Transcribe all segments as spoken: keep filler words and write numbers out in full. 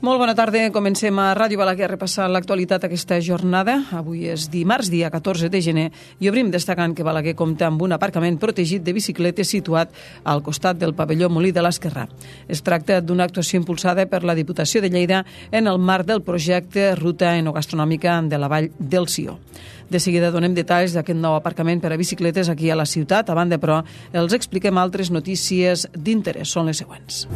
Molt bona tarda. Comencem a Ràdio Balaguer a repassar l'actualitat aquesta jornada. Avui és dimarts, dia catorze de gener, i obrim destacant que Balaguer compta amb un aparcament protegit de bicicletes situat al costat del pavelló Molí de l'Esquerrà. Es tracta d'una actuació impulsada per la Diputació de Lleida en el marc del projecte Ruta Enogastronòmica de la Vall del Sió. De seguida donem detalls d'aquest nou aparcament per a bicicletes aquí a la ciutat. A banda, però, els expliquem altres notícies d'interès. Són les següents.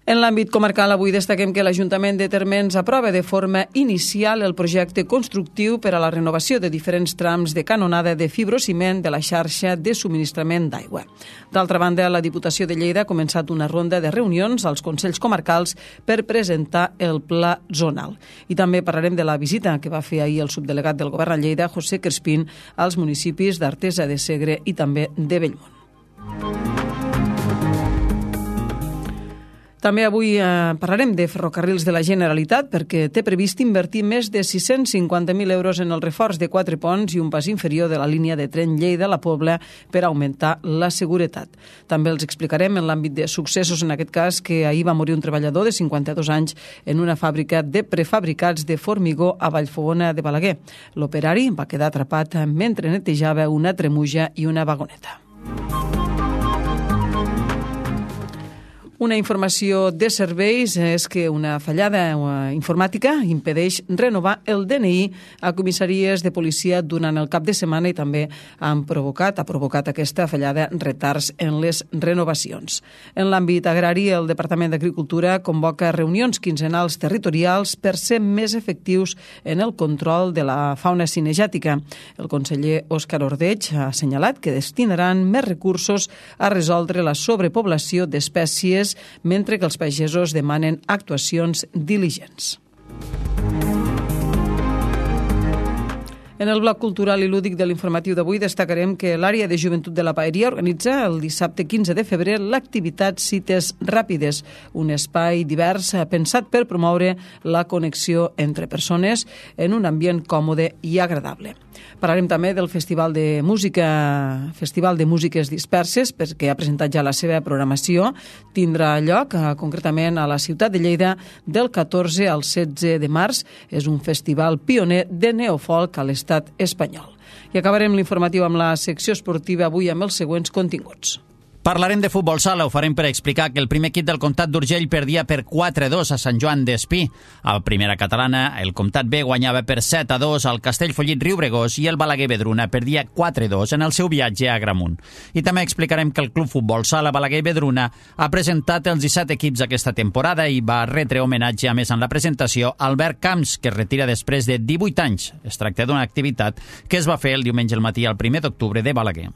En l'àmbit comarcal, avui destaquem que l'Ajuntament de Térmens aprova de forma inicial el projecte constructiu per a la renovació de diferents trams de canonada de fibrociment de la xarxa de subministrament d'aigua. D'altra banda, la Diputació de Lleida ha començat una ronda de reunions als Consells Comarcals per presentar el pla zonal. I també parlarem de la visita que va fer ahir el subdelegat del Govern a Lleida, José Crespín, als municipis d'Artesa de Segre i també de Bellmunt. També avui eh, parlarem de Ferrocarrils de la Generalitat perquè té previst invertir més de sis-cents cinquanta mil euros en el reforç de quatre ponts i un pas inferior de la línia de tren Lleida-La Pobla per augmentar la seguretat. També els explicarem en l'àmbit de successos, en aquest cas, que ahir va morir un treballador de cinquanta-dos anys en una fàbrica de prefabricats de formigó a Vallfogona de Balaguer. L'operari va quedar atrapat mentre netejava una tremuja i una vagoneta. Una informació de serveis és que una fallada informàtica impedeix renovar el D N I a comissaries de policia durant el cap de setmana i també han provocat, ha provocat aquesta fallada retards en les renovacions. En l'àmbit agrari, el Departament d'Agricultura convoca reunions quinzenals territorials per ser més efectius en el control de la fauna cinegètica. El conseller Òscar Ordeig ha assenyalat que destinaran més recursos a resoldre la sobrepoblació d'espècies mentre que els pagesos demanen actuacions diligents. En el bloc cultural i lúdic de l'informatiu d'avui destacarem que l'àrea de joventut de la Paeria organitza el dissabte quinze de febrer l'activitat Cites Ràpides, un espai divers pensat per promoure la connexió entre persones en un ambient còmode i agradable. Parlarem també del Festival de Música, Festival de Músiques Disperses, perquè ha presentat ja la seva programació. Tindrà lloc eh, concretament a la ciutat de Lleida del catorze al setze de març. És un festival pioner de neofolk a l'estat espanyol. I acabarem l'informatiu amb la secció esportiva avui amb els següents continguts. Parlarem de futbol sala, ho farem per explicar que el primer equip del Comtat d'Urgell perdia per quatre a dos a Sant Joan d'Espí. Al Primera Catalana, el Comtat B guanyava per set a dos al Castellfollit Riubregós i el Balaguer Vedruna perdia quatre a dos en el seu viatge a Agramunt. I també explicarem que el Club Futbol Sala Balaguer Vedruna ha presentat els disset equips aquesta temporada i va retre homenatge, a més en la presentació, a Albert Camps, que es retira després de divuit anys. Es tracta d'una activitat que es va fer el diumenge al matí al primer d'octubre de Balaguer.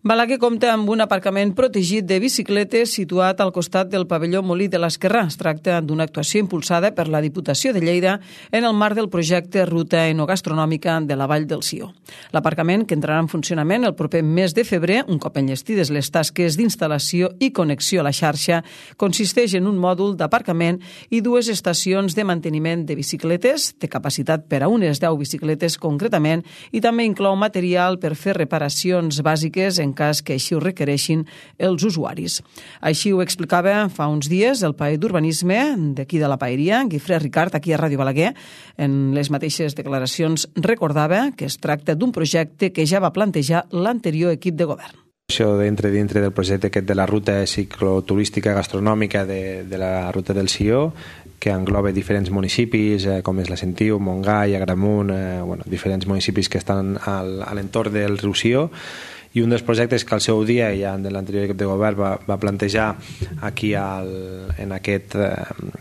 Balaguer compta amb un aparcament protegit de bicicletes situat al costat del pavelló Molí de l'Esquerrà. Es tracta d'una actuació impulsada per la Diputació de Lleida en el marc del projecte Ruta Enogastronòmica de la Vall del Sió. L'aparcament, que entrarà en funcionament el proper mes de febrer, un cop enllestides les tasques d'instal·lació i connexió a la xarxa, consisteix en un mòdul d'aparcament i dues estacions de manteniment de bicicletes, té capacitat per a unes deu bicicletes concretament, i també inclou material per fer reparacions bàsiques en cas que així ho requereixin els usuaris. Així ho explicava fa uns dies el paer d'urbanisme d'aquí de la Paeria, Guifré Ricard, aquí a Ràdio Balaguer. En les mateixes declaracions recordava que es tracta d'un projecte que ja va plantejar l'anterior equip de govern. Això dintre, dintre del projecte aquest de la ruta cicloturística gastronòmica de, de la ruta del Sió, que engloba diferents municipis, eh, com és la Sentiu, Montgai, Agramunt, eh, bueno, diferents municipis que estan al, a l'entorn del riu Sió. I un dels projectes que al seu dia, ja de l'anterior equip de govern, va, va plantejar aquí al, en, aquest,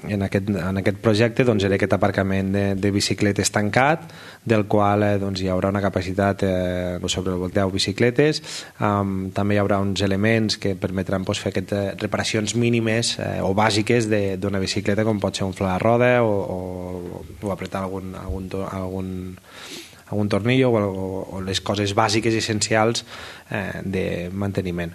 en, aquest, en aquest projecte, doncs, era aquest aparcament de, de bicicletes tancat, del qual eh, doncs, hi haurà una capacitat eh, sobre deu bicicletes. Um, també hi haurà uns elements que permetran doncs, fer aquestes reparacions mínimes eh, o bàsiques d'una bicicleta, com pot ser un fla de roda o, o, o apretar algun, algun, algun algun tornillo o, o les coses bàsiques i essencials eh, de manteniment.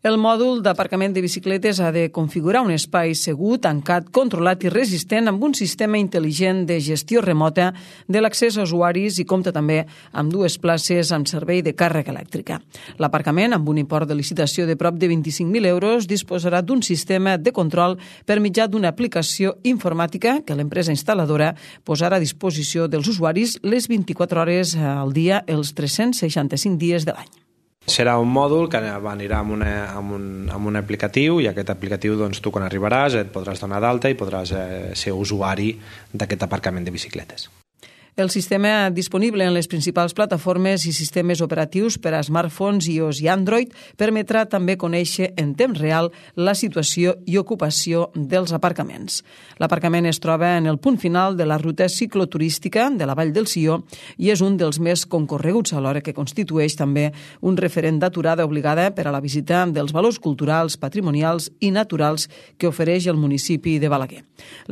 El mòdul d'aparcament de bicicletes ha de configurar un espai segur, tancat, controlat i resistent amb un sistema intel·ligent de gestió remota de l'accés a usuaris i compta també amb dues places amb servei de càrrega elèctrica. L'aparcament, amb un import de licitació de prop de vint-i-cinc mil euros, disposarà d'un sistema de control per mitjà d'una aplicació informàtica que l'empresa instal·ladora posarà a disposició dels usuaris les vint-i-quatre hores al dia, els tres-cents seixanta-cinc dies de l'any. Serà un mòdul que anirà amb, una, amb, un, amb un aplicatiu i aquest aplicatiu doncs, tu quan arribaràs et podràs donar d'alta i podràs eh, ser usuari d'aquest aparcament de bicicletes. El sistema disponible en les principals plataformes i sistemes operatius per a smartphones, iOS i Android permetrà també conèixer en temps real la situació i ocupació dels aparcaments. L'aparcament es troba en el punt final de la ruta cicloturística de la Vall del Sió i és un dels més concorreguts, alhora que constitueix també un referent d'aturada obligada per a la visita dels valors culturals, patrimonials i naturals que ofereix el municipi de Balaguer.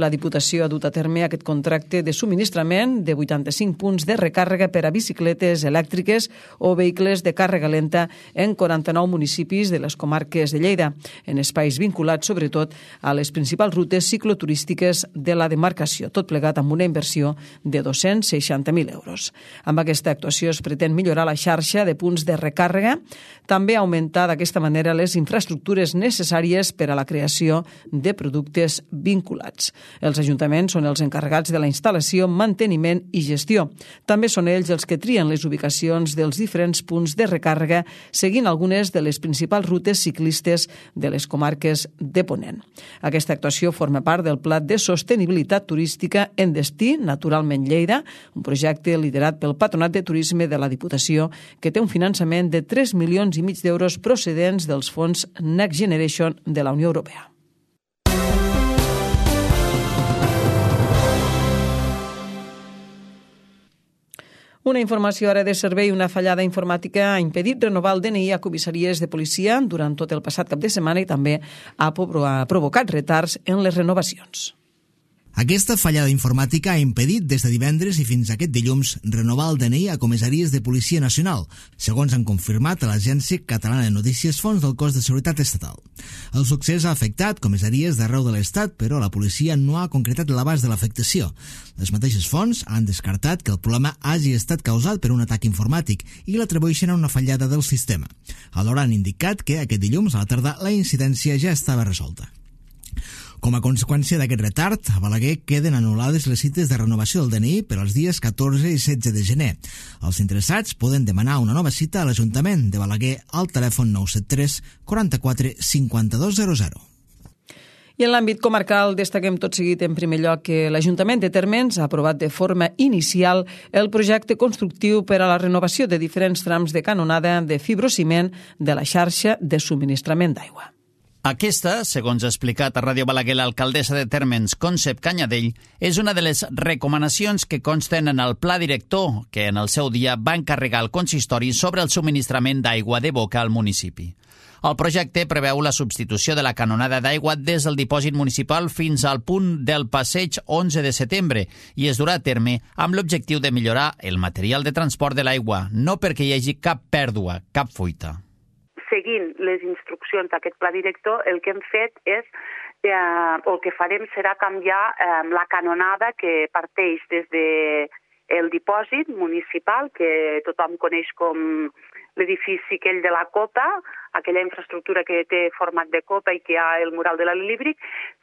La Diputació ha dut a terme aquest contracte de subministrament de vuitanta-cinc punts de recàrrega per a bicicletes elèctriques o vehicles de càrrega lenta en quaranta-nou municipis de les comarques de Lleida, en espais vinculats sobretot a les principals rutes cicloturístiques de la demarcació, tot plegat amb una inversió de dos-cents seixanta mil euros. Amb aquesta actuació es pretén millorar la xarxa de punts de recàrrega, també augmentar d'aquesta manera les infraestructures necessàries per a la creació de productes vinculats. Els ajuntaments són els encarregats de la instal·lació, manteniment i gestió. També són ells els que trien les ubicacions dels diferents punts de recàrrega seguint algunes de les principals rutes ciclistes de les comarques de Ponent. Aquesta actuació forma part del Pla de Sostenibilitat Turística en Destí, Naturalment Lleida, un projecte liderat pel Patronat de Turisme de la Diputació que té un finançament de tres milions i mig d'euros procedents dels fons Next Generation de la Unió Europea. Una informació ara de servei. Una fallada informàtica ha impedit renovar el D N I a comissaries de policia durant tot el passat cap de setmana i també ha provocat retards en les renovacions. Aquesta fallada informàtica ha impedit des de divendres i fins aquest dilluns renovar el D N I a comissaries de Policia Nacional, segons han confirmat a l'Agència Catalana de Notícies fonts del Cos de Seguretat Estatal. El succés ha afectat comissaries d'arreu de l'Estat, però la policia no ha concretat l'abast de l'afectació. Les mateixes fonts han descartat que el problema hagi estat causat per un atac informàtic i l'atribueixen a una fallada del sistema. Alhora han indicat que aquest dilluns a la tarda la incidència ja estava resolta. Com a conseqüència d'aquest retard, a Balaguer queden anul·lades les cites de renovació del D N I per als dies catorze i setze de gener. Els interessats poden demanar una nova cita a l'Ajuntament de Balaguer al telèfon nou set tres quaranta-quatre cinquanta-dos zero zero. I en l'àmbit comarcal destaquem tot seguit en primer lloc que l'Ajuntament de Térmens ha aprovat de forma inicial el projecte constructiu per a la renovació de diferents trams de canonada de fibrociment de la xarxa de subministrament d'aigua. Aquesta, segons ha explicat a Ràdio Balaguer l'alcaldessa de Térmens, Concep Canyadell, és una de les recomanacions que consten en el pla director que en el seu dia va encarregar al consistori sobre el subministrament d'aigua de boca al municipi. El projecte preveu la substitució de la canonada d'aigua des del dipòsit municipal fins al punt del passeig onze de setembre i es durà a terme amb l'objectiu de millorar el material de transport de l'aigua, no perquè hi hagi cap pèrdua, cap fuita. Seguint les instruccions d'aquest pla director, el que hem fet és, eh, o el que farem serà canviar eh, la canonada que parteix des del dipòsit municipal, que tothom coneix com l'edifici aquell de la Copa, aquella infraestructura que té format de copa i que hi ha el mural de l'Alíbric,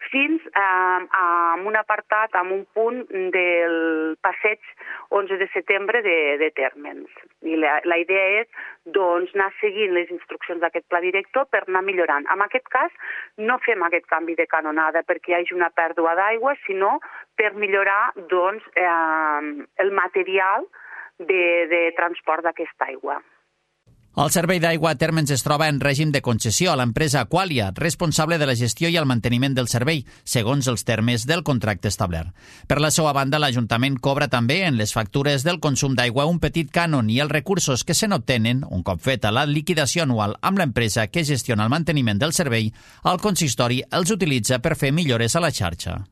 fins eh, a un apartat, a un punt del passeig onze de setembre de, de Térmens. I la, la idea és doncs, anar seguint les instruccions d'aquest pla director per anar millorant. En aquest cas, no fem aquest canvi de canonada perquè hi hagi una pèrdua d'aigua, sinó per millorar doncs, eh, el material de, de transport d'aquesta aigua. El servei d'aigua a Térmens es troba en règim de concessió a l'empresa Aqualia, responsable de la gestió i el manteniment del servei, segons els termes del contracte establert. Per la seva banda, l'Ajuntament cobra també en les factures del consum d'aigua un petit cànon i els recursos que se n'obtenen, un cop feta la liquidació anual amb l'empresa que gestiona el manteniment del servei, el consistori els utilitza per fer millores a la xarxa.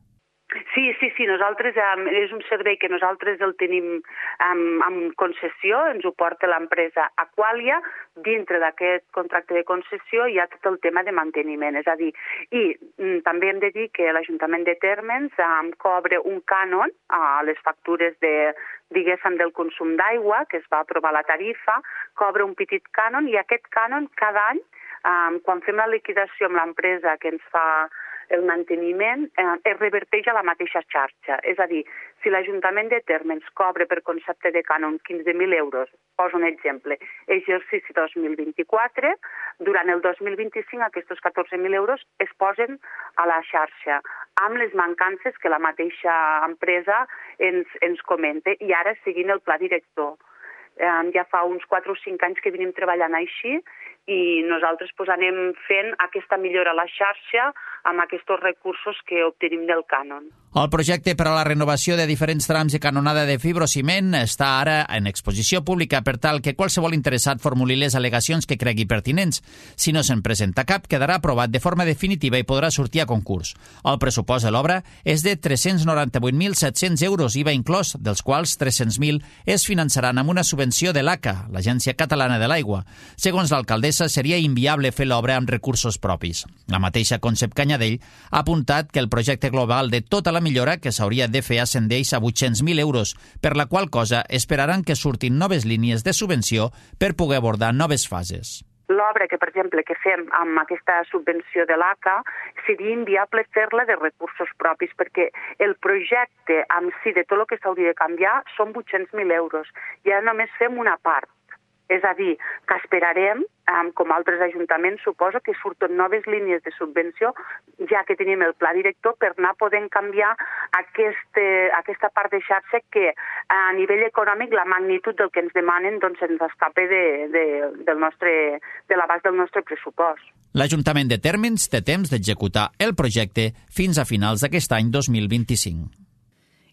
Sí, sí, sí. sí, nosaltres um, és un servei que nosaltres el tenim um, amb concessió, ens ho porta l'empresa Aqualia. Dintre d'aquest contracte de concessió hi ha tot el tema de manteniment, és a dir, i um, també hem de dir que l'Ajuntament de Térmens um, cobra un cànon a les factures de, diguéssim, del consum d'aigua, que es va aprovar la tarifa, cobra un petit cànon, i aquest cànon cada any, um, quan fem la liquidació amb l'empresa que ens fa el manteniment, eh, es reverteix a la mateixa xarxa. És a dir, si l'Ajuntament de Térmens cobra per concepte de cànon quinze mil euros, poso un exemple, exercici dos mil vint-i-quatre, durant el dos mil vint-i-cinc aquests catorze mil euros es posen a la xarxa, amb les mancances que la mateixa empresa ens, ens comenta, i ara seguint el pla director. Eh, ja fa uns quatre o cinc anys que venim treballant així, i nosaltres pues, anem fent aquesta millora a la xarxa amb aquests recursos que obtenim del cànon. El projecte per a la renovació de diferents trams de canonada de fibrociment està ara en exposició pública per tal que qualsevol interessat formuli les al·legacions que cregui pertinents. Si no se'n presenta cap, quedarà aprovat de forma definitiva i podrà sortir a concurs. El pressupost de l'obra és de tres-cents noranta-vuit mil set-cents euros, I V A inclòs, dels quals tres-cents mil es finançaran amb una subvenció de l'A C A, l'Agència Catalana de l'Aigua. Segons l'alcaldessa, seria inviable fer l'obra amb recursos propis. La mateixa Concep Canyadell ha apuntat que el projecte global de tota la millora que s'hauria de fer ascendeix a vuit-cents mil euros, per la qual cosa esperaran que surtin noves línies de subvenció per poder abordar noves fases. L'obra que, per exemple, que fem amb aquesta subvenció de l'A C A seria inviable fer-la de recursos propis, perquè el projecte en si de tot el que s'hauria de canviar són vuit-cents mil euros. I ara només fem una part. És a dir, que esperarem, com altres ajuntaments, suposo que surten noves línies de subvenció, ja que tenim el pla director, per anar podent canviar aquest, aquesta part de xarxa que a nivell econòmic la magnitud del que ens demanen doncs, ens escapa de, de, del nostre, de l'abast del nostre pressupost. L'Ajuntament de Térmens té temps d'executar el projecte fins a finals d'aquest any dos mil vint-i-cinc.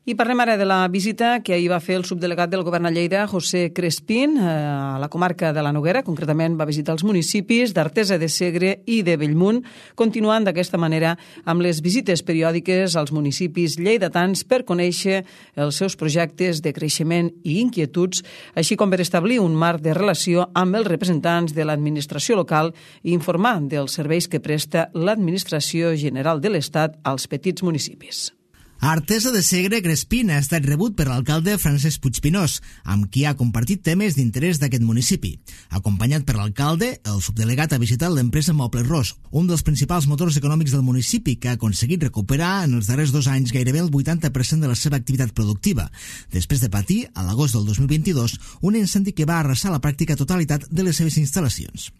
I parlem ara de la visita que ahir va fer el subdelegat del Govern a Lleida, José Crespín, a la comarca de la Noguera. Concretament va visitar els municipis d'Artesa de Segre i de Bellmunt, continuant d'aquesta manera amb les visites periòdiques als municipis lleidatans per conèixer els seus projectes de creixement i inquietuds, així com per establir un marc de relació amb els representants de l'administració local i informar dels serveis que presta l'Administració General de l'Estat als petits municipis. A Artesa de Segre, Crespín ha estat rebut per l'alcalde Francesc Puigpinós, amb qui ha compartit temes d'interès d'aquest municipi. Acompanyat per l'alcalde, el subdelegat ha visitat l'empresa Mobles Ros, un dels principals motors econòmics del municipi, que ha aconseguit recuperar en els darrers dos anys gairebé el vuitanta per cent de la seva activitat productiva, després de patir, a l'agost del dos mil vint-i-dos, un incendi que va arrasar la pràctica totalitat de les seves instal·lacions.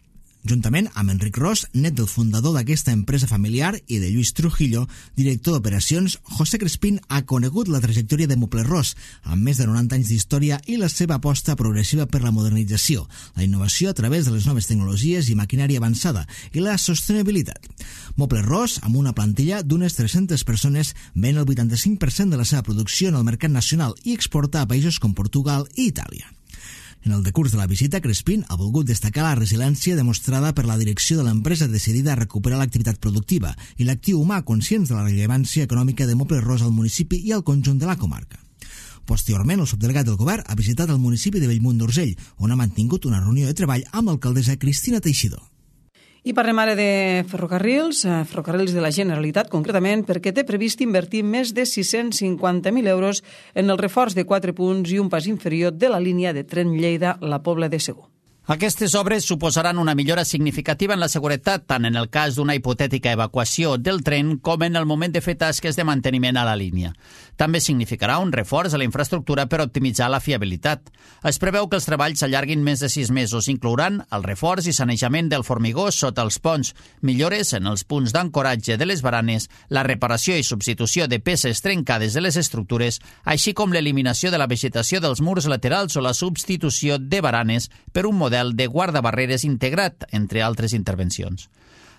Juntament amb Enric Ros, net del fundador d'aquesta empresa familiar, i de Lluís Trujillo, director d'operacions, José Crespín ha conegut la trajectòria de Mobles Ros, amb més de noranta anys d'història i la seva aposta progressiva per la modernització, la innovació a través de les noves tecnologies i maquinària avançada i la sostenibilitat. Mobles Ros, amb una plantilla d'unes tres-centes persones, ven el vuitanta-cinc per cent de la seva producció en el mercat nacional i exporta a països com Portugal i Itàlia. En el decurs de la visita, Crespín ha volgut destacar la resiliència demostrada per la direcció de l'empresa decidida a recuperar l'activitat productiva i l'actiu humà conscients de la rellevància econòmica de Mobles Ros al municipi i al conjunt de la comarca. Posteriorment, el subdelegat del govern ha visitat el municipi de Bellmunt d'Urgell, on ha mantingut una reunió de treball amb l'alcaldessa Cristina Teixidor. I parlem ara de ferrocarrils, ferrocarrils de la Generalitat, concretament, perquè té previst invertir més de sis-cents cinquanta mil euros en el reforç de quatre punts i un pas inferior de la línia de tren Lleida-La Pobla de Segur. Aquestes obres suposaran una millora significativa en la seguretat, tant en el cas d'una hipotètica evacuació del tren com en el moment de fer tasques de manteniment a la línia. També significarà un reforç a la infraestructura per optimitzar la fiabilitat. Es preveu que els treballs s'allarguin més de sis mesos. Inclouran el reforç i sanejament del formigó sota els ponts, millores en els punts d'ancoratge de les baranes, la reparació i substitució de peces trencades de les estructures, així com l'eliminació de la vegetació dels murs laterals o la substitució de baranes per un model de guardabarreres integrat, entre altres intervencions.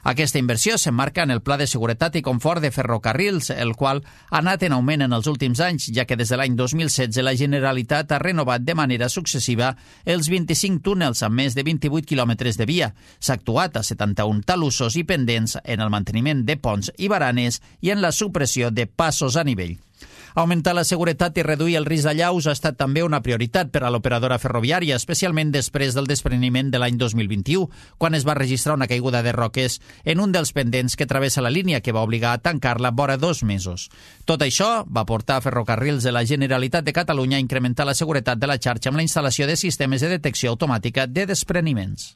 Aquesta inversió s'emmarca en el Pla de Seguretat i Confort de Ferrocarrils, el qual ha anat en augment en els últims anys, ja que des de l'any dos mil setze la Generalitat ha renovat de manera successiva els vint-i-cinc túnels amb més de vint-i-vuit quilòmetres de via. S'ha actuat a setanta-un talussos i pendents en el manteniment de ponts i baranes i en la supressió de passos a nivell. Augmentar la seguretat i reduir el risc d'allaus ha estat també una prioritat per a l'operadora ferroviària, especialment després del despreniment de l'any dos mil vint-i-u, quan es va registrar una caiguda de roques en un dels pendents que travessa la línia, que va obligar a tancar-la vora dos mesos. Tot això va portar a Ferrocarrils de la Generalitat de Catalunya a incrementar la seguretat de la xarxa amb la instal·lació de sistemes de detecció automàtica de despreniments.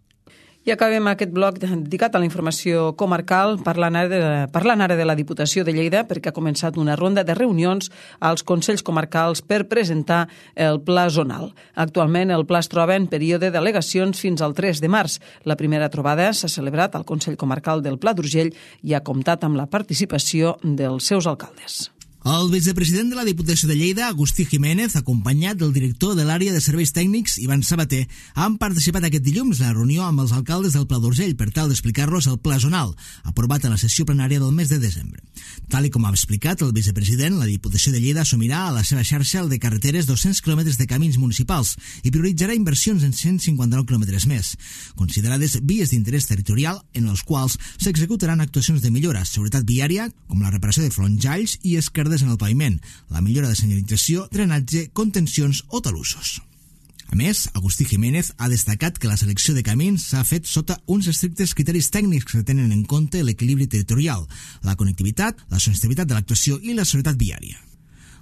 I acabem aquest bloc dedicat a la informació comarcal parlant ara, de, parlant ara de la Diputació de Lleida, perquè ha començat una ronda de reunions als Consells Comarcals per presentar el Pla Zonal. Actualment el pla es troba en període d'al·legacions fins al tres de març. La primera trobada s'ha celebrat al Consell Comarcal del Pla d'Urgell i ha comptat amb la participació dels seus alcaldes. El vicepresident de la Diputació de Lleida, Agustí Jiménez, acompanyat del director de l'àrea de serveis tècnics, Ivan Sabater, han participat aquest dilluns en la reunió amb els alcaldes del Pla d'Urgell per tal d'explicar-los el Pla Zonal, aprovat a la sessió plenària del mes de desembre. Tal i com ha explicat el vicepresident, la Diputació de Lleida assumirà a la seva xarxa el de carreteres dos-cents quilòmetres de camins municipals i prioritzarà inversions en cent cinquanta-nou quilòmetres més, considerades vies d'interès territorial en els quals s'executaran actuacions de millora, seguretat viària, com la reparació de fronjalls i esquerdes en el paviment, la millora de senyalització, drenatge, contencions o talussos. A més, Agustí Jiménez ha destacat que la selecció de camins s'ha fet sota uns estrictes criteris tècnics que tenen en compte l'equilibri territorial, la connectivitat, la sostenibilitat de l'actuació i la seguretat viària.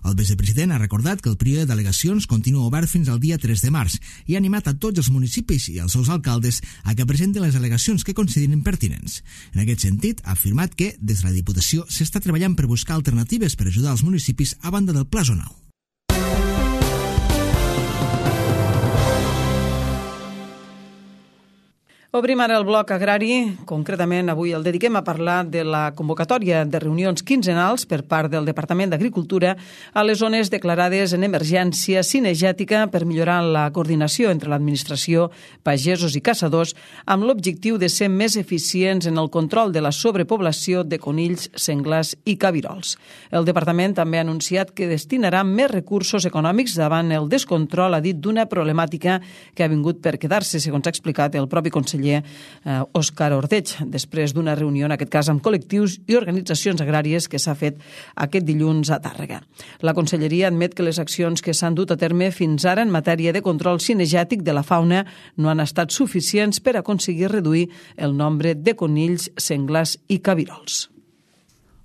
El vicepresident ha recordat que el període d'al·legacions continua obert fins al dia tres de març i ha animat a tots els municipis i els seus alcaldes a que presenten les al·legacions que considerin pertinents. En aquest sentit, ha afirmat que, des de la Diputació, s'està treballant per buscar alternatives per ajudar els municipis a banda del Pla Zonal. Obrim ara el bloc agrari. Concretament, avui el dediquem a parlar de la convocatòria de reunions quinzenals per part del Departament d'Agricultura a les zones declarades en emergència cinegètica per millorar la coordinació entre l'administració, pagesos i caçadors amb l'objectiu de ser més eficients en el control de la sobrepoblació de conills, senglars i cabirols. El Departament també ha anunciat que destinarà més recursos econòmics davant el descontrol, ha dit, d'una problemàtica que ha vingut per quedar-se, segons ha explicat el propi conseller Òscar Ordeig, després d'una reunió, en aquest cas amb col·lectius i organitzacions agràries que s'ha fet aquest dilluns a Tàrrega. La Conselleria admet que les accions que s'han dut a terme fins ara en matèria de control cinegètic de la fauna no han estat suficients per aconseguir reduir el nombre de conills, senglars i cabirols.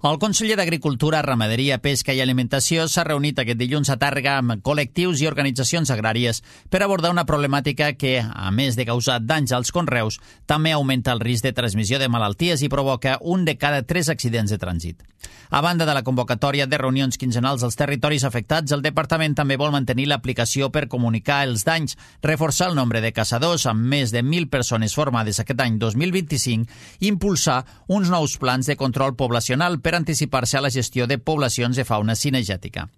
El conseller d'Agricultura, Ramaderia, Pesca i Alimentació s'ha reunit aquest dilluns a Tàrrega amb col·lectius i organitzacions agràries per abordar una problemàtica que, a més de causar danys als conreus, també augmenta el risc de transmissió de malalties i provoca un de cada tres accidents de trànsit. A banda de la convocatòria de reunions quinzenals als territoris afectats, el Departament també vol mantenir l'aplicació per comunicar els danys, reforçar el nombre de caçadors amb més de mil persones formades aquest any dos mil vint-i-cinc i impulsar uns nous plans de control poblacional per anticipar-se a la gestió de poblacions de fauna cinegètica.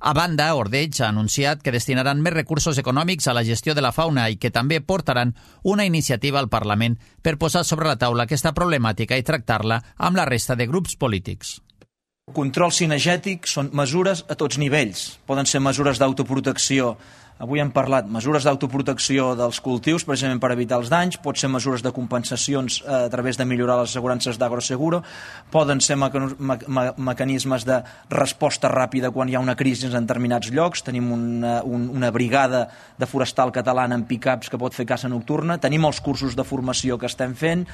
A banda, Ordeig ha anunciat que destinaran més recursos econòmics a la gestió de la fauna i que també portaran una iniciativa al Parlament per posar sobre la taula aquesta problemàtica i tractar-la amb la resta de grups polítics. Control cinegètic són mesures a tots nivells. Poden ser mesures d'autoprotecció. Avui hem parlat mesures d'autoprotecció dels cultius, precisament per evitar els danys, pot ser mesures de compensacions a través de millorar les assegurances d'Agroseguro, poden ser meca- me- mecanismes de resposta ràpida quan hi ha una crisi en determinats llocs. Tenim una, un, una brigada de forestal catalana en pick-ups que pot fer caça nocturna, tenim els cursos de formació que estem fent,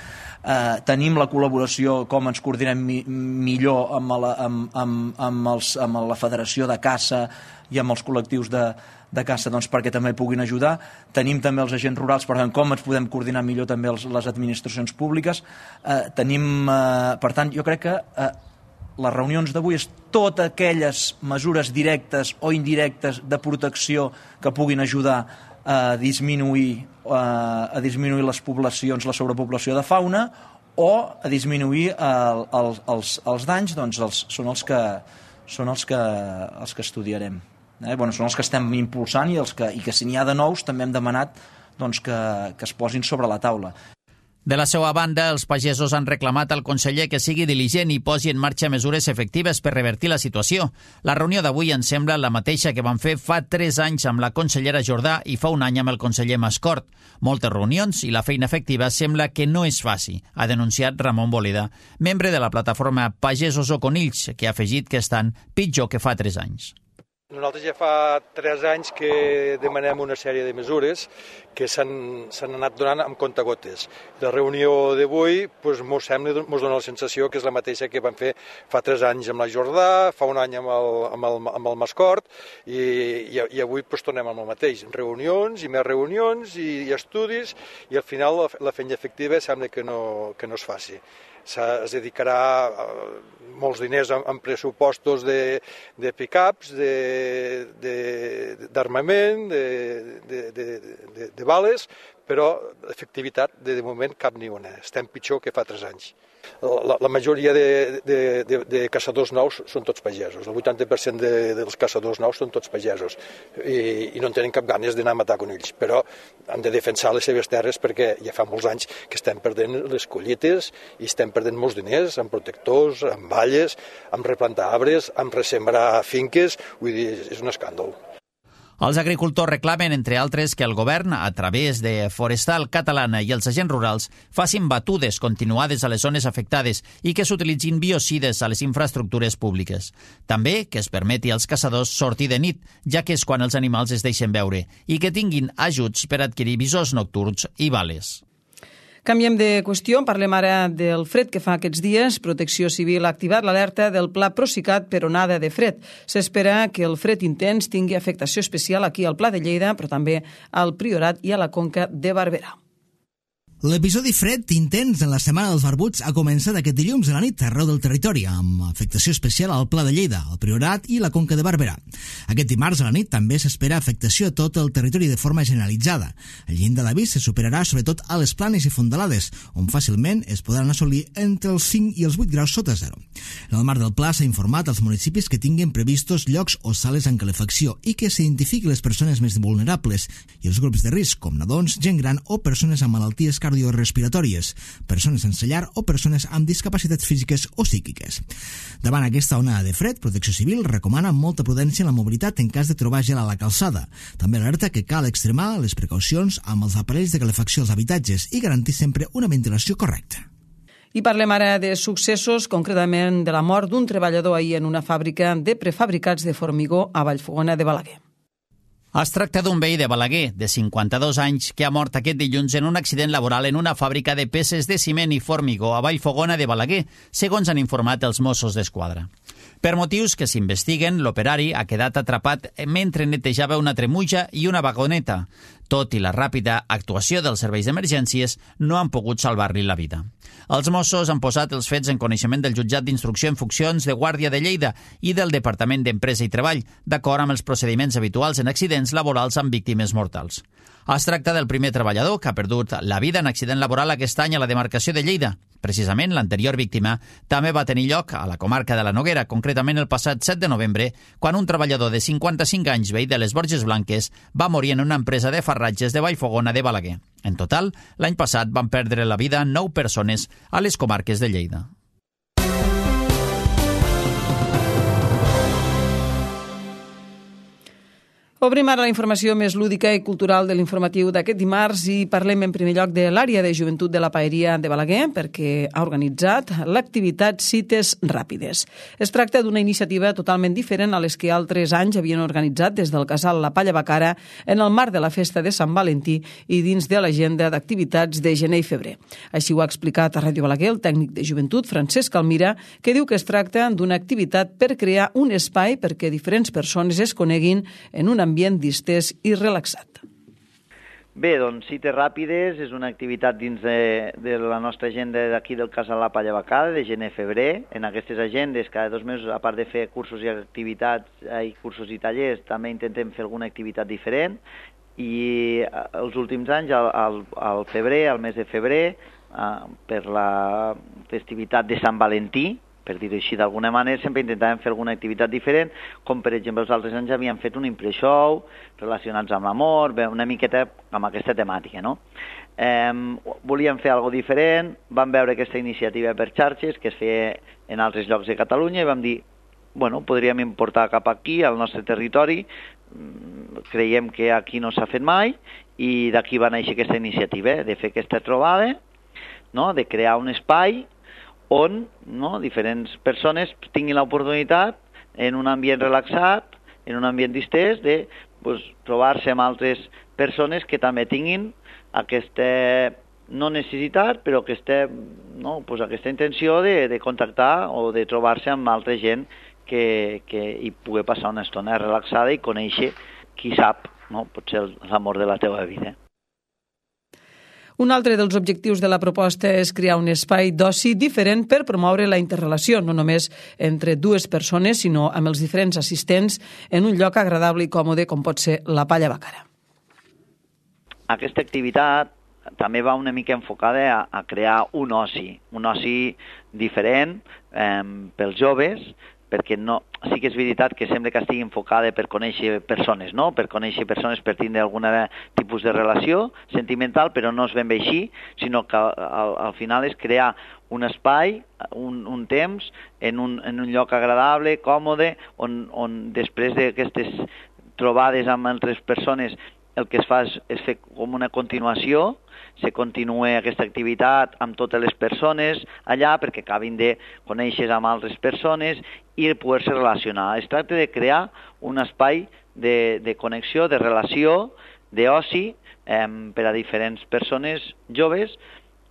eh, tenim la col·laboració, com ens coordinem mi, millor amb la, amb, amb, amb, els, amb la Federació de Caça i amb els col·lectius de, de caça, doncs, perquè també puguin ajudar. Tenim també els agents rurals, per tant, com ens podem coordinar millor també els, les administracions públiques. Eh, tenim, eh, per tant, jo crec que eh, les reunions d'avui és totes aquelles mesures directes o indirectes de protecció que puguin ajudar a disminuir, eh, a disminuir les poblacions, la sobrepoblació de fauna, o a disminuir el, el, els, els danys, doncs els, són els que, són els que, els que estudiarem. Eh, bueno, són els que estem impulsant i, els que, i que si n'hi ha de nous també hem demanat doncs, que, que es posin sobre la taula. De la seva banda, els pagesos han reclamat al conseller que sigui diligent i posi en marxa mesures efectives per revertir la situació. La reunió d'avui ens sembla la mateixa que van fer fa tres anys amb la consellera Jordà i fa un any amb el conseller Mascort. Moltes reunions i la feina efectiva sembla que no es faci, ha denunciat Ramon Boleda, membre de la plataforma Pagesos o Conills, que ha afegit que estan pitjor que fa tres anys. Nosaltres ja fa tres anys que demanem una sèrie de mesures que s'han anat donant amb comptagotes. La reunió d'avui doncs, mos sembla, mos dona la sensació que és la mateixa que vam fer fa tres anys amb la Jordà, fa un any amb el, amb el, amb el Mascort, i, i, i avui doncs, tornem amb el mateix. Reunions i més reunions i, i estudis, i al final la, la feina efectiva sembla que no, que no es faci. Es dedicarà molts diners en pressupostos de, de pick-ups, d'armament, de, de, de, de, de bales, però efectivitat de, de moment cap ni una. Estem pitjor que fa tres anys. La, la majoria de, de, de, de caçadors nous són tots pagesos. El vuitanta per cent de, dels caçadors nous són tots pagesos i, i no en tenen cap ganes d'anar a matar conills, però han de defensar les seves terres perquè ja fa molts anys que estem perdent les collites i estem perdent molts diners amb protectors, amb valles, amb replantar arbres, amb ressembrar finques, vull dir, és un escàndol. Els agricultors reclamen, entre altres, que el govern, a través de Forestal Catalana i els agents rurals, facin batudes continuades a les zones afectades i que s'utilitzin biocides a les infraestructures públiques. També que es permeti als caçadors sortir de nit, ja que és quan els animals es deixen veure, i que tinguin ajuts per adquirir visors nocturns i bales. Canviem de qüestió, parlem ara del fred que fa aquests dies. Protecció Civil ha activat l'alerta del Pla Procicat per onada de fred. S'espera que el fred intens tingui afectació especial aquí al Pla de Lleida, però també al Priorat i a la Conca de Barberà. L'episodi fred intens en la Setmana dels Barbuts ha començat aquest dilluns a la nit arreu del territori, amb afectació especial al Pla de Lleida, al Priorat i la Conca de Barberà. Aquest dimarts a la nit també s'espera afectació a tot el territori de forma generalitzada. El llindar d'avís se superarà sobretot a les planes i fondalades, on fàcilment es podran assolir entre els cinc i els vuit graus sota zero. En el marc del pla s'ha informat als municipis que tinguin previstos llocs o sales en calefacció i que s'identifiqui les persones més vulnerables i els grups de risc, com nadons, gent gran o persones amb malalties cardiorrespiratòries, persones sense llar o persones amb discapacitats físiques o psíquiques. Davant aquesta onada de fred, Protecció Civil recomana molta prudència en la mobilitat en cas de trobar gel a la calçada. També alerta que cal extremar les precaucions amb els aparells de calefacció als habitatges i garantir sempre una ventilació correcta. I parlem ara de successos, concretament de la mort d'un treballador ahir en una fàbrica de prefabricats de formigó a Vallfogona de Balaguer. Es tracta d'un veí de Balaguer, de cinquanta-dos anys, que ha mort aquest dilluns en un accident laboral en una fàbrica de peces de ciment i formigó a Vallfogona de Balaguer, segons han informat els Mossos d'Esquadra. Per motius que s'investiguen, l'operari ha quedat atrapat mentre netejava una tremuja i una vagoneta. Tot i la ràpida actuació dels serveis d'emergències, no han pogut salvar-li la vida. Els Mossos han posat els fets en coneixement del Jutjat d'Instrucció en Funcions de Guàrdia de Lleida i del Departament d'Empresa i Treball, d'acord amb els procediments habituals en accidents laborals amb víctimes mortals. Es tracta del primer treballador que ha perdut la vida en accident laboral aquest any a la demarcació de Lleida. Precisament, l'anterior víctima també va tenir lloc a la comarca de la Noguera, concretament el passat set de novembre, quan un treballador de cinquanta-cinc anys veí de les Borges Blanques va morir en una empresa de farratges de Vallfogona de Balaguer. En total, l'any passat van perdre la vida nou persones a les comarques de Lleida. Obrim ara la informació més lúdica i cultural de l'informatiu d'aquest dimarts i parlem en primer lloc de l'àrea de joventut de la Paeria de Balaguer perquè ha organitzat l'activitat Cites Ràpides. Es tracta d'una iniciativa totalment diferent a les que altres anys havien organitzat des del casal La Palla Bacara en el marc de la festa de Sant Valentí i dins de l'agenda d'activitats de gener i febrer. Així ho ha explicat a Ràdio Balaguer el tècnic de joventut Francesc Almira, que diu que es tracta d'una activitat per crear un espai perquè diferents persones es coneguin en un ambient ambient distès i relaxat. Bé, doncs Cites Ràpides és una activitat dins de, de la nostra agenda d'aquí del Casal La Palla Bacada, de gener-febrer. En aquestes agendes, cada dos mesos, a part de fer cursos i activitats, i cursos i tallers, també intentem fer alguna activitat diferent. I els últims anys, al, al, al febrer, al mes de febrer, eh, per la festivitat de Sant Valentí, per dir-ho així d'alguna manera, sempre intentàvem fer alguna activitat diferent, com per exemple els altres anys havíem fet un impreshow relacionats amb l'amor, una miqueta amb aquesta temàtica, no? Eh, volíem fer alguna diferent, vam veure aquesta iniciativa per xarxes que es feia en altres llocs de Catalunya i vam dir, bueno, podríem importar cap aquí, al nostre territori, creiem que aquí no s'ha fet mai i d'aquí va néixer aquesta iniciativa, de fer aquesta trobada, no? De crear un espai on no, diferents persones tinguin l'oportunitat en un ambient relaxat en un ambient distès, de pues, trobar-se amb altres persones que també tinguin aquesta, no necessitat, però aquesta, no, pues, aquesta intenció de, de contactar o de trobar-se amb altra gent que, que hi pugui passar una estona relaxada i conèixer, qui sap, no? Potser l'amor de la teva vida. Un altre dels objectius de la proposta és crear un espai d'oci diferent per promoure la interrelació, no només entre dues persones, sinó amb els diferents assistents en un lloc agradable i còmode com pot ser la Palla Bàcara. Aquesta activitat també va una mica enfocada a, a crear un oci, un oci diferent eh, pels joves, perquè no, sí que és veritat que sembla que estigui enfocada per conèixer persones, no? Per conèixer persones per tindre algun tipus de relació sentimental, però no és ben bé així, sinó que al, al final és crear un espai, un, un temps, en un, en un lloc agradable, còmode, on, on després d'aquestes trobades amb altres persones el que es fa és, és fer com una continuació, se continua aquesta activitat amb totes les persones allà perquè acabin de conèixer amb altres persones i poder-se relacionar. Es tracta de crear un espai de, de connexió, de relació, d'oci eh, per a diferents persones joves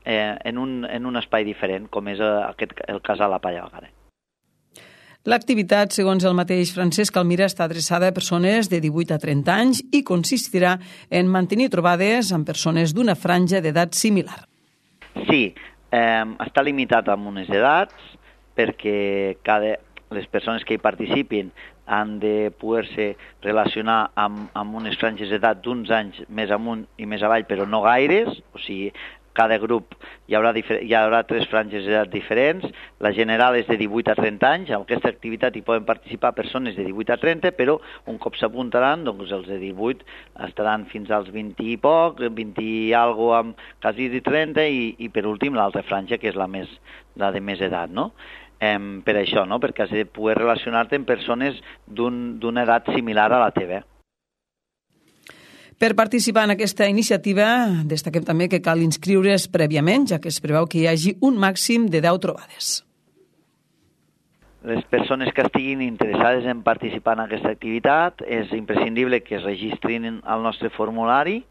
eh, en, un, en un espai diferent, com és aquest, el cas a la Palla Bàcara. L'activitat, segons el mateix Francesc Almira, està adreçada a persones de divuit a trenta anys i consistirà en mantenir trobades amb persones d'una franja d'edat similar. Sí, eh, està limitat amb unes edats perquè cada, les persones que hi participin han de poder-se relacionar amb, amb unes franges d'edat d'uns anys més amunt i més avall, però no gaires, o sigui, cada grup hi haurà, hi haurà tres franges d'edat diferents, la general és de divuit a trenta anys, en aquesta activitat hi poden participar persones de divuit a trenta, però un cop s'apuntaran, doncs els de divuit estaran fins als vint i poc, vint i algo amb quasi de trenta i, i per últim l'altra franja, que és la, més, la de més edat, no? Eh, per això, no? Perquè has de poder relacionar-te amb persones d'un, d'una edat similar a la teva. Per participar en aquesta iniciativa, destaquem també que cal inscriure's prèviament, ja que es preveu que hi hagi un màxim de deu trobades. Les persones que estiguin interessades en participar en aquesta activitat és imprescindible que es registrin al nostre formulari,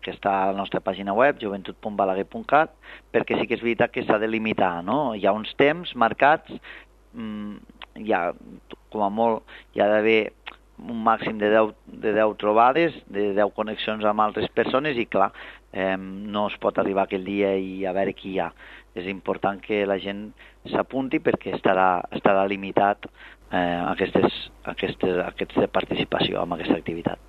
que està a la nostra pàgina web, joventut punt balaguer punt cat, perquè sí que és veritat que s'ha de limitar, no? Hi ha uns temps marcats, mmm, hi ha, com a molt, hi ha d'haver un màxim de deu, de deu trobades, de deu connexions amb altres persones i, clar, eh, no es pot arribar aquell dia i a veure qui hi ha. És important que la gent s'apunti perquè estarà, estarà limitat eh, aquestes, aquestes, aquesta participació en aquesta activitat.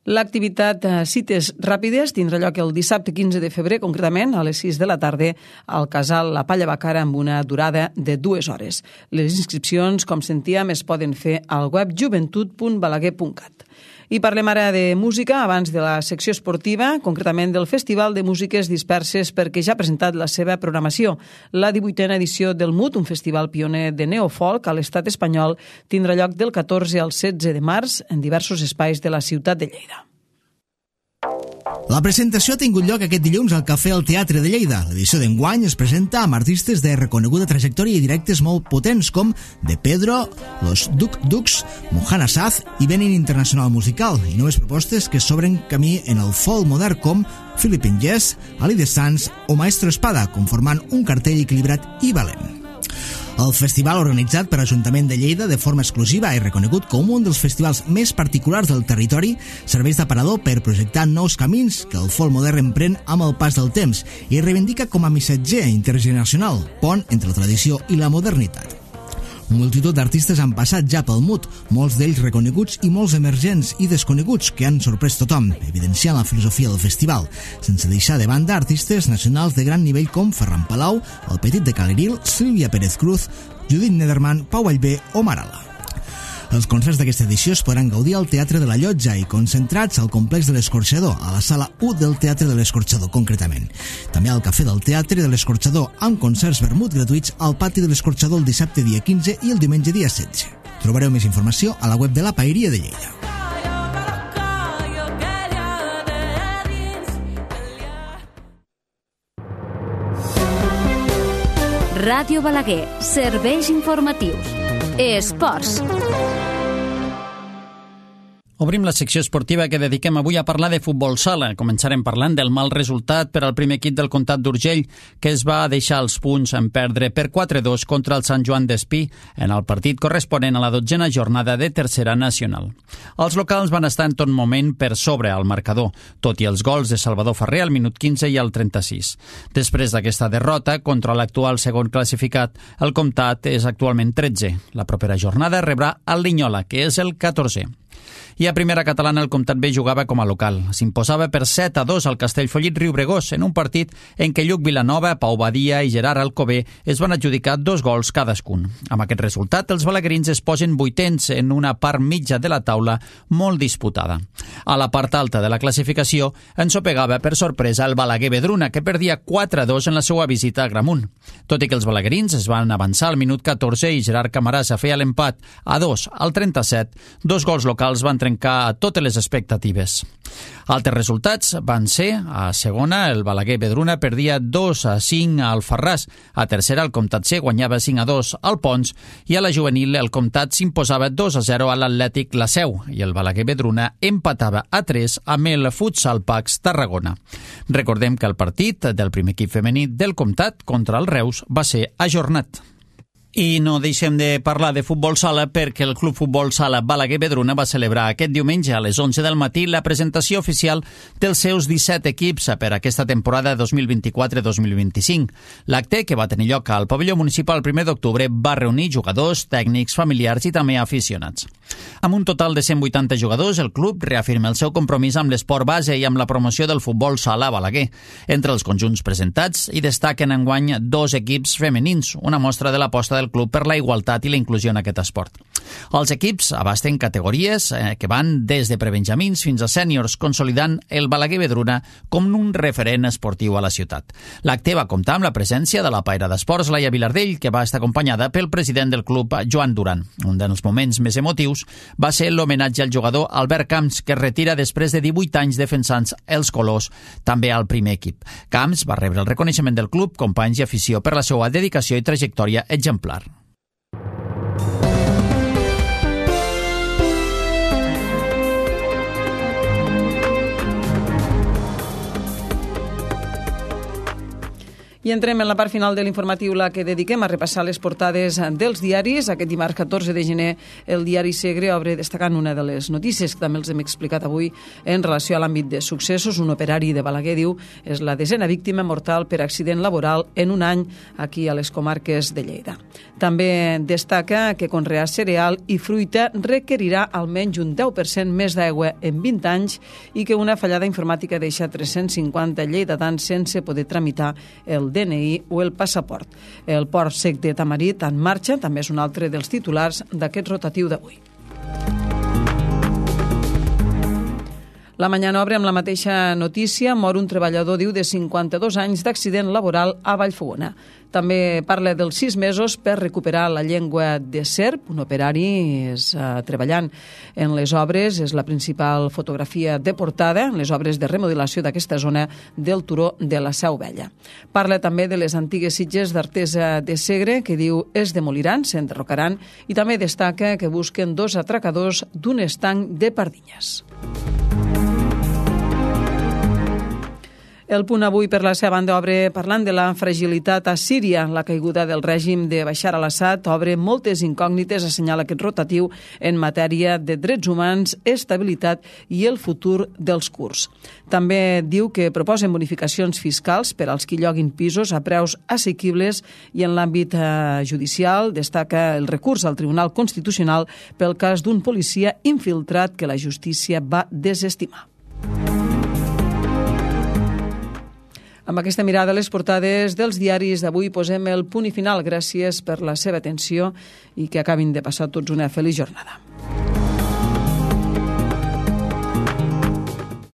L'activitat Cites Ràpides tindrà lloc el dissabte quinze de febrer, concretament a les sis de la tarda, al casal La Palla Bàcara amb una durada de dues hores. Les inscripcions, com sentíem, es poden fer al web joventut punt balaguer punt cat. I parlem ara de música, abans de la secció esportiva, concretament del Festival de Músiques Disperses, perquè ja ha presentat la seva programació. La divuitena edició del M U T, un festival pioner de neofolk a l'estat espanyol, tindrà lloc del catorze al setze de març en diversos espais de la ciutat de Lleida. La presentació ha tingut lloc aquest dilluns al Cafè al Teatre de Lleida. L'edició d'enguany es presenta amb artistes de reconeguda trajectòria i directes molt potents com De Pedro, Los Duk Duks, Mohana Saz i Benin Internacional Musical, i noves propostes que s'obren camí en el folk modern com Philippine Jazz, Ali de Sans o Maestro Espada, conformant un cartell equilibrat i valent. El festival, organitzat per l'Ajuntament de Lleida de forma exclusiva i reconegut com un dels festivals més particulars del territori, serveix d'aparador per projectar nous camins que el folk modern emprèn amb el pas del temps i reivindica com a missatger intergeneracional, pont entre la tradició i la modernitat. Multitud d'artistes han passat ja pel M U T, molts d'ells reconeguts i molts emergents i desconeguts que han sorprès tothom, evidenciant la filosofia del festival, sense deixar de banda artistes nacionals de gran nivell com Ferran Palau, El Petit de Caleril, Sílvia Pérez Cruz, Judit Nederman, Pau Vallvé o Marala. Els concerts d'aquesta edició es podran gaudir al Teatre de la Llotja i concentrats al complex de l'Escorxador, a la sala u del Teatre de l'Escorxador, concretament. També al Cafè del Teatre de l'Escorxador, amb concerts vermut gratuïts al pati de l'Escorxador el dissabte dia quinze i el diumenge dia setze. Trobareu més informació a la web de la Paeria de Lleida. Ràdio Balaguer, serveis informatius. Esports. Obrim la secció esportiva que dediquem avui a parlar de futbol sala. Començarem parlant del mal resultat per al primer equip del Comtat d'Urgell, que es va deixar els punts en perdre per quatre dos contra el Sant Joan d'Espí en el partit corresponent a la dotzena jornada de Tercera Nacional. Els locals van estar en tot moment per sobre al marcador, tot i els gols de Salvador Ferrer al minut quinze i al trenta-sis. Després d'aquesta derrota contra l'actual segon classificat, el Comtat és actualment tretze. La propera jornada rebrà el Linyola, que és el catorzè. I a primera catalana el Comtat B jugava com a local. S'imposava per set a dos al Castellfollit Riubregós en un partit en què Lluc Vilanova, Pau Badia i Gerard Alcover es van adjudicar dos gols cadascun. Amb aquest resultat, els balaguerins es posen vuitens en una part mitja de la taula molt disputada. A la part alta de la classificació ensopegava per sorpresa el Balaguer Vedruna, que perdia quatre a dos en la seva visita a Gramunt. Tot i que els balaguerins es van avançar al minut catorze i Gerard Camarasa feia l'empat a dos al trenta-set, dos gols locals van trencar totes les expectatives. Altres resultats van ser: a segona, el Balaguer Vedruna perdia dos a cinc al Farràs, a tercera, el Comtat C guanyava cinc a dos al Pons, i a la juvenil el Comtat s'imposava dos a zero a l'Atlètic La Seu, i el Balaguer Vedruna empatava a tres amb el Futsal Pax Tarragona. Recordem que el partit del primer equip femení del Comtat contra el Reus va ser ajornat. I no deixem de parlar de futbol sala perquè el Club Futbol Sala Balaguer Vedruna va celebrar aquest diumenge a les onze del matí la presentació oficial dels seus disset equips per aquesta temporada dos mil vint-i-quatre dos mil vint-i-cinc. L'acte, que va tenir lloc al pavelló municipal el primer d'octubre, va reunir jugadors, tècnics, familiars i també aficionats. Amb un total de cent vuitanta jugadors, el club reafirma el seu compromís amb l'esport base i amb la promoció del futbol sala a Balaguer. Entre els conjunts presentats hi destaquen enguany dos equips femenins, una mostra de l'aposta del club per la igualtat i la inclusió en aquest esport. Els equips abasten categories eh, que van des de prebenjamins fins a sèniors, consolidant el Balaguer Vedruna com un referent esportiu a la ciutat. L'acte va comptar amb la presència de la paira d'esports Laia Vilardell, que va estar acompanyada pel president del club, Joan Duran. Un dels moments més emotius va ser l'homenatge al jugador Albert Camps, que es retira després de divuit anys defensant els colors, també al primer equip. Camps va rebre el reconeixement del club, companys i afició per la seva dedicació i trajectòria exemplar. I entrem en la part final de l'informatiu, la que dediquem a repassar les portades dels diaris. Aquest dimarts catorze de gener el diari Segre obre destacant una de les notícies que també els hem explicat avui en relació a l'àmbit de successos. Un operari de Balaguer, diu, és la desena víctima mortal per accident laboral en un any aquí a les comarques de Lleida. També destaca que conrear cereal i fruita requerirà almenys un deu per cent més d'aigua en vint anys i que una fallada informàtica deixa tres-cents cinquanta lleidatans sense poder tramitar el D N I o el passaport. El port sec de Tamarit en marxa també és un altre dels titulars d'aquest rotatiu d'avui. La Mañana obre amb la mateixa notícia. Mor un treballador, diu, de cinquanta-dos anys d'accident laboral a Vallfogona. També parla dels sis mesos per recuperar la llengua de serp. Un operari és uh, treballant en les obres, és la principal fotografia de portada, en les obres de remodelació d'aquesta zona del turó de la Seu Vella. Parla també de les antigues sitges d'Artesa de Segre, que diu es demoliran, s'enderrocaran, i també destaca que busquen dos atracadors d'un estanc de Pardinyes. El Punt avui, per la seva banda, obre parlant de la fragilitat a Síria. La caiguda del règim de Bashar al-Assad obre moltes incògnites, assenyala aquest rotatiu, en matèria de drets humans, estabilitat i el futur dels kurds. També diu que proposen bonificacions fiscals per als qui lloguin pisos a preus assequibles i en l'àmbit eh, judicial destaca el recurs al Tribunal Constitucional pel cas d'un policia infiltrat que la justícia va desestimar. Amb aquesta mirada a les portades dels diaris d'avui posem el punt i final. Gràcies per la seva atenció i que acabin de passar tots una feliç jornada.